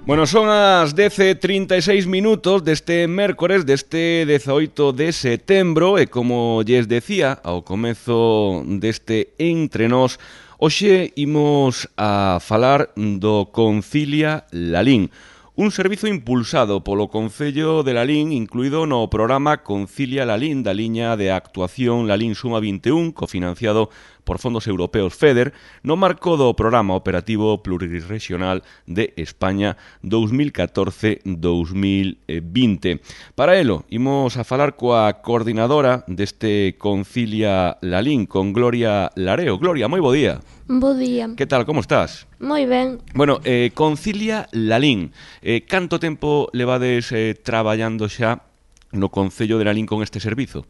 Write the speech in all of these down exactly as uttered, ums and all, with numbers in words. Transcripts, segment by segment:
Bueno, son as dez e trinta e seis minutos deste mércores, deste dezaoito de setembro, e como lles decía ao comezo deste Entre Nós, hoxe imos a falar do Concilia Lalín, un servizo impulsado polo Concello de Lalín, incluído no programa Concilia Lalín da liña de actuación Lalín Suma vinte e un, cofinanciado por fondos europeos FEDER, no marco do Programa Operativo Plurirrexional de España dous mil catorce a dous mil vinte. Para elo, imos a falar coa coordinadora deste Concilia Lalín, con Gloria Lareo. Gloria, moi bo día. Bo día. Que tal, como estás? Moi ben. Bueno, eh, Concilia Lalín, eh, canto tempo levades eh, traballando xa no Concello de Lalín con este servizo?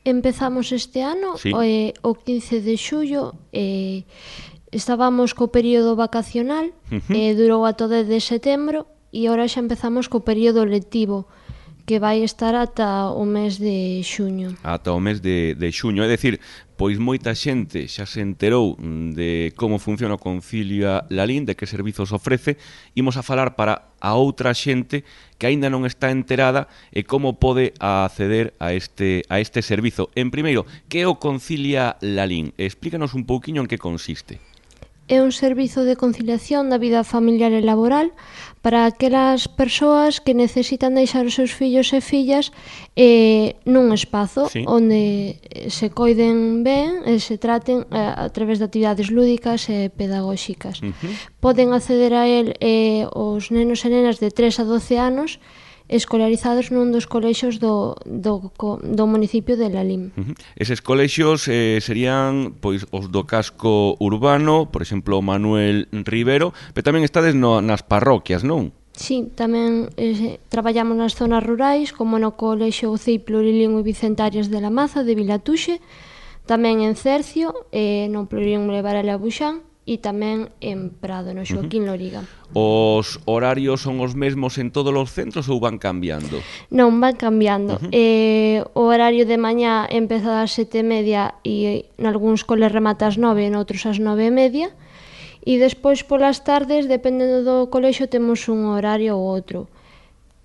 Empezamos este ano, Sí. o, eh, o quince de xullo, eh, estábamos co período vacacional, Uh-huh. eh, durou a todo de setembro, e agora xa empezamos co período lectivo, que vai estar ata o mes de xuño. Ata o mes de, de xuño, é dicir, pois moita xente xa se enterou de como funciona o Concilia Lalín, de que servizos ofrece. Imos a falar para a outra xente que aínda non está enterada e como pode acceder a este, a este servizo. En primeiro, que é o Concilia Lalín? Explícanos un pouquiño en que consiste. É un servizo de conciliación da vida familiar e laboral para aquelas persoas que necesitan deixar os seus fillos e fillas eh, nun espazo, Sí. onde se coiden ben e se traten eh, a través de actividades lúdicas e pedagóxicas. Uh-huh. Poden acceder a él eh, os nenos e nenas de tres a doce anos escolarizados nun dos colexios do, do, do municipio de Lalín. Uh-huh. Eses colexios eh, serían pois os do casco urbano, por exemplo, Manuel Rivero, pero tamén estades no, nas parroquias, non? Sí, tamén eh, traballamos nas zonas rurais, como no colexio C I Plurilingüe Vicentarias de la Maza, de Vilatuxe, tamén en Cercio, eh, no Plurilingüe Varela Buxán, e tamén en Prado, no Xoaquín Loriga. Os horarios son os mesmos en todos os centros ou van cambiando? Non, van cambiando. Uh-huh. eh, o horario de mañá empeza ás sete e media e nalgúns coles remata ás nove e noutros ás nove e media. E despois polas tardes, dependendo do colexio, temos un horario ou outro.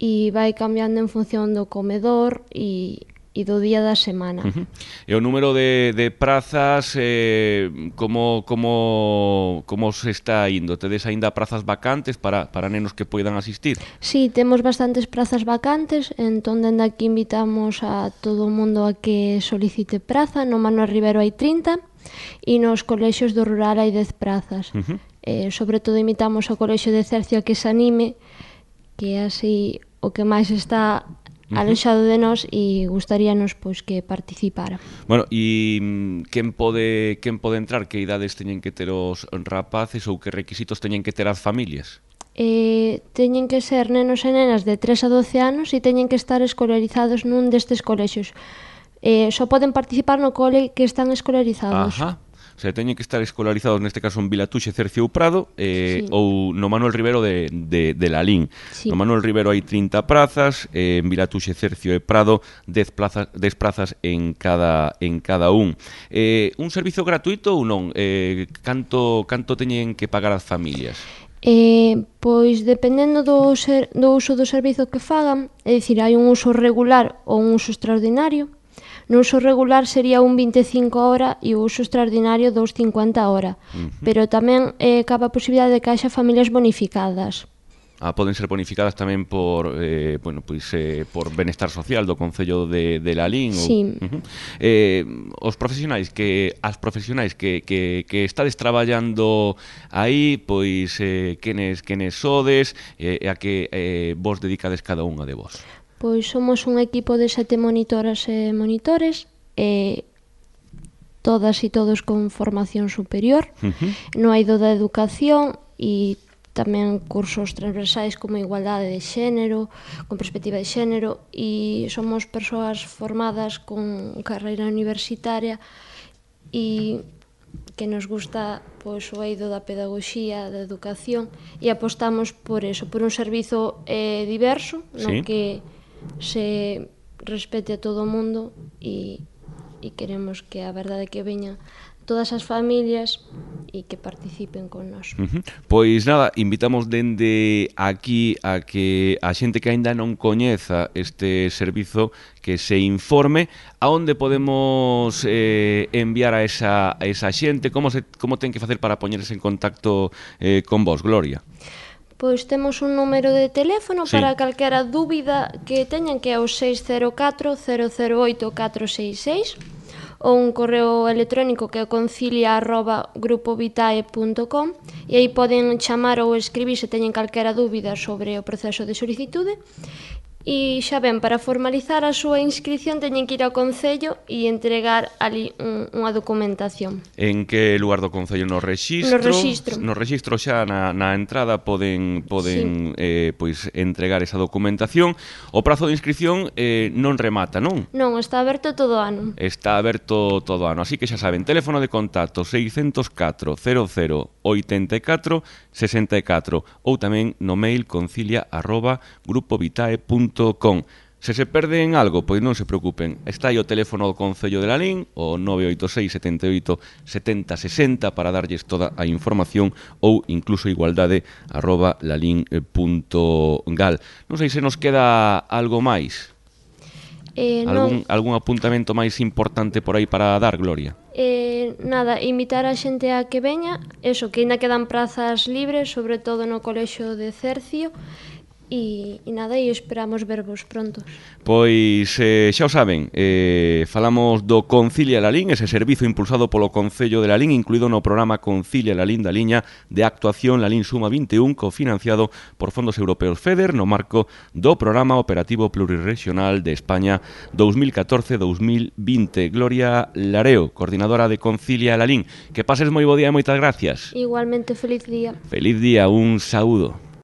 E vai cambiando en función do comedor e, e do día da semana. Uh-huh. E o número de, de prazas, eh, como, como, como se está indo? Tedes aínda prazas vacantes para, para nenos que poidan asistir? Sí, temos bastantes prazas vacantes, entón dende aquí invitamos a todo o mundo a que solicite praza. No Manuel Rivero hai trinta e nos colexios do rural hai dez prazas. Uh-huh. eh, sobre todo invitamos ao colexio de Cercio a que se anime, que é así o que máis está alexado de nós e gustaríanos pois que participara. Bueno, e mm, quen pode quen pode entrar? Que idades teñen que ter os rapaces ou que requisitos teñen que ter as familias? Eh, teñen que ser nenos e nenas de tres a doce anos e teñen que estar escolarizados nun destes colexios. Eh, só poden participar no cole que están escolarizados. Ajá. O sea, teñen que estar escolarizados neste caso en Vilatuxe, Cercio ou Prado, eh, Sí. ou no Manuel Rivero de, de, de Lalín. Sí. No Manuel Rivero hai trinta prazas, eh, en Vilatuxe, Cercio e Prado dez plazas, dez prazas en cada en cada un. Eh, un servizo gratuito ou non? Eh, canto canto teñen que pagar as familias? Eh, pois dependendo do, ser, do uso do servizo que fagan, é dicir, hai un uso regular ou un uso extraordinario. No uso regular sería un vinte e cinco a hora e o uso extraordinario dous cincuenta a hora. Uh-huh. Pero tamén eh, cabe a posibilidade de que haxa familias bonificadas. Ah, poden ser bonificadas tamén por eh, bueno, pois, eh, por benestar social do Concello de, de Lalín. Sí. Ou, uh-huh. eh, os profesionais que as profesionais que, que, que estades traballando aí, pois eh, quenes, quenes sodes e eh, a que eh, vos dedicades cada unha de vos. Pois somos un equipo de sete monitoras e monitores, e todas e todos con formación superior, Uh-huh. no eido da educación e tamén cursos transversais como igualdade de xénero, con perspectiva de xénero, e somos persoas formadas con carreira universitaria e que nos gusta pois, o eido da pedagogía, da educación, e apostamos por eso, por un servizo eh, diverso, no Sí. que se respete a todo o mundo e, e queremos que a verdade que veña todas as familias e que participen con nós. Uh-huh. Pois nada, invitamos dende aquí a que a xente que aínda non coñeza este servizo que se informe a onde podemos eh, enviar a esa, a esa xente, como, se, como ten que facer para poñerse en contacto eh, con vos, Gloria. Pois temos un número de teléfono sí. para calquera dúbida que teñan, que é o seis cero catro cero cero oito catro seis seis, ou un correo electrónico que é concilia arroba grupovitae punto com, e aí poden chamar ou escribir se teñen calquera dúbida sobre o proceso de solicitude. E xa ben, para formalizar a súa inscripción teñen que ir ao Concello e entregar ali un, unha documentación. En que lugar do Concello? No rexistro? No rexistro. No rexistro xa na, na entrada poden, poden sí. eh, pois, entregar esa documentación. O prazo de inscripción eh, non remata, non? Non, está aberto todo o ano. Está aberto todo o ano, así que xa saben, teléfono de contacto seis cero catro cero cero oito catro seis catro ou tamén no mail concilia arroba grupovitae punto com. Se se perden algo, pois non se preocupen. Está aí o teléfono do Concello de Lalín, o nove oito seis sete oito sete zero seis zero, para darlles toda a información, ou incluso igualdade arroba lalín punto gal. Non sei se nos queda algo máis. Eh, algún, non. algún apuntamento máis importante por aí para dar, Gloria? Eh, nada, invitar a xente a que veña, eso, que ainda quedan prazas libres, sobre todo no colexio de Cercio, e, e nada, e esperamos vervos pronto. Pois eh, xa o saben, eh, falamos do Concilia Lalín, ese servizo impulsado polo Concello de Lalín, incluído no programa Concilia Lalín da liña de actuación Lalín Suma vinte e un, cofinanciado por fondos europeos FEDER no marco do Programa Operativo Plurirregional de España dous mil catorce dous mil vinte. Gloria Lareo, coordinadora de Concilia Lalín. Que pases moi bo día e moitas gracias. Igualmente, feliz día. Feliz día, un saúdo.